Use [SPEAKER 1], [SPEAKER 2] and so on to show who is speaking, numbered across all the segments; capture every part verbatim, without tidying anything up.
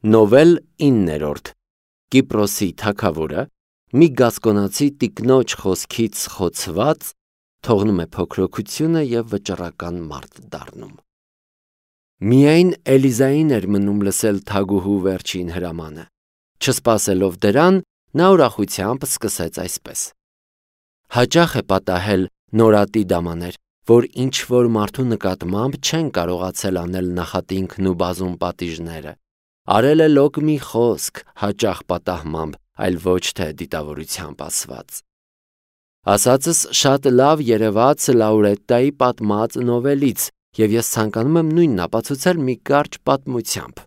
[SPEAKER 1] Նովել իններորդ Կիպրոսի թագավորը մի գասկոնացի տիկնոջ խոսքից խոցված թողնում է փոքրությունը և վճռական մարդ դառնում։ Միայն Էլիզային էր մնում լսել թագուհու վերջին հրամանը։ Չսպասելով դրան, նա ուրախությամբ սկսեց այսպես. Հաճախ է պատահել նորատի դամաներ, որ ինչ-որ մարդու նկատմամբ չեն կարողացել անել նախատինքն ու բազում պատիժները։ Արել է լոկ մի խոսք հաճախ պատահմամբ, այլ ոչ թե դիտավորությամբ ասված։ Ասածս շատ լավ երևաց Լաուրետտայի պատմած նովելից, և ես ցանկանում եմ նույնն ապացուցել մի կարճ պատմությամբ։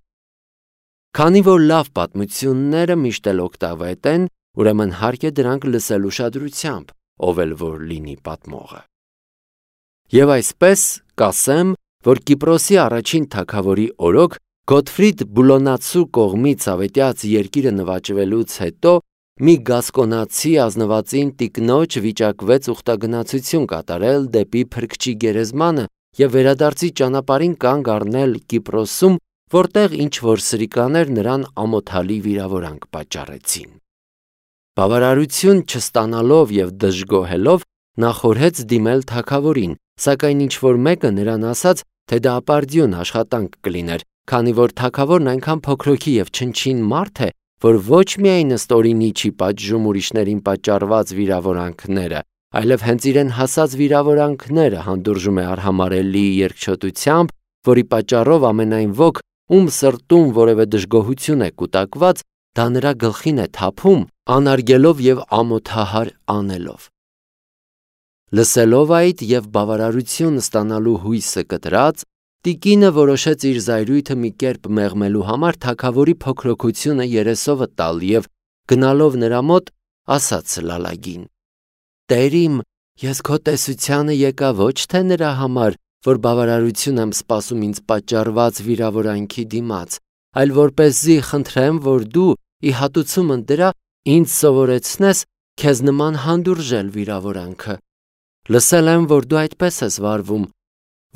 [SPEAKER 1] Քանի որ լավ պատմությունները միշտ էլ օգտավետ են, ուրեմն հարկ է դրանք լսել ուշադրությամբ, ով էլ որ լինի պատմողը։ Եվ այսպես կասեմ, որ Կիպրոսի առաջին թագավորի օրոք Գոթֆրիդ Բուլոնացու կողմից ավետյաց երկիրը նվաճվելուց հետո մի գասկոնացի ազնվածին տիկնոջ վիճակվեց ուխտագնացություն կատարել դեպի Փրկչի գերեզմանը և վերադարձի ճանապարհին կանգ առնել Կիպրոսում, որտեղ ինչ-որ սրիկաներ նրան ամոթալի վիրավորանք պատճառեցին։ Բավարարություն չստանալով և դժգոհելով նա խորհեց դիմել թագավորին, սակայն ինչ-որ մեկը նրան ասաց, թե դա ապարդյուն աշխատանք կլիներ, քանի որ թագավորն այնքան փոքրոքի և չնչին մարդ է, որ ոչ միայն ըստ օրինի չի պատժում ուրիշներին պատճառված վիրավորանքները, այլև հենց իրեն հասած վիրավորանքները հանդուրժում է արհամարհելի երկչոտությամբ, որի պատճառով ամենայն ոք, ում սրտում որևէ դժգոհություն է կուտակված, դա նրա գլխին է թափում, անարգելով և ամոթահար անելով։ Լսելով այդ և բավարարություն ստանալու հույսը կտրած, տիկինը որոշեց իր զայրույթը մի կերպ մեղմելու համար թագավորի փոքրոքությունը երեսովը տալ և գնալով նրա մոտ ասաց լալագին. «Տեր իմ, ես քո տեսությանը եկա ոչ թե նրա համար, որ բավարարություն եմ սպասում ինձ պատճառված վիրավորանքի դիմաց, այլ որպեսզի խնդրեմ, որ դու ի հատուցումն դրա ինձ սովորեցնես քեզ նման հանդուրժել վիրավորանքը։ Լսել եմ, որ դու այդպես ես վարվում,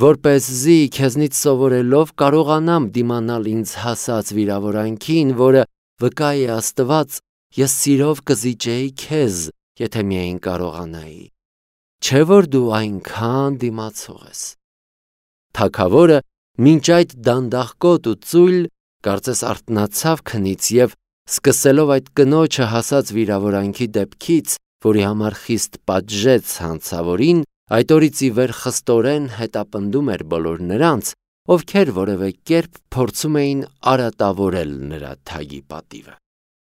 [SPEAKER 1] որպեսզի քեզնից սովորելով կարողանամ դիմանալ ինձ հասած վիրավորանքին, որը, վկա է Աստված, ես սիրով կզիջեի քեզ, եթե միայն կարողանայի։ Չէ՞ որ դու այնքան դիմացող ես»։ Թագավորը մինչ այդ դանդաղկոտ ու ծույլ, կարծես արթնացավ քնից և, սկսելով այդ կնոջը հասած վիրավորանքի դեպքից, որի համար խիստ պատժեց հանցավորին, այդ օրից ի վեր խստորեն հետապնդում էր բոլոր նրանց, ովքեր որևէ կերպ փորձում էին արատավորել նրա թագի պատիվը։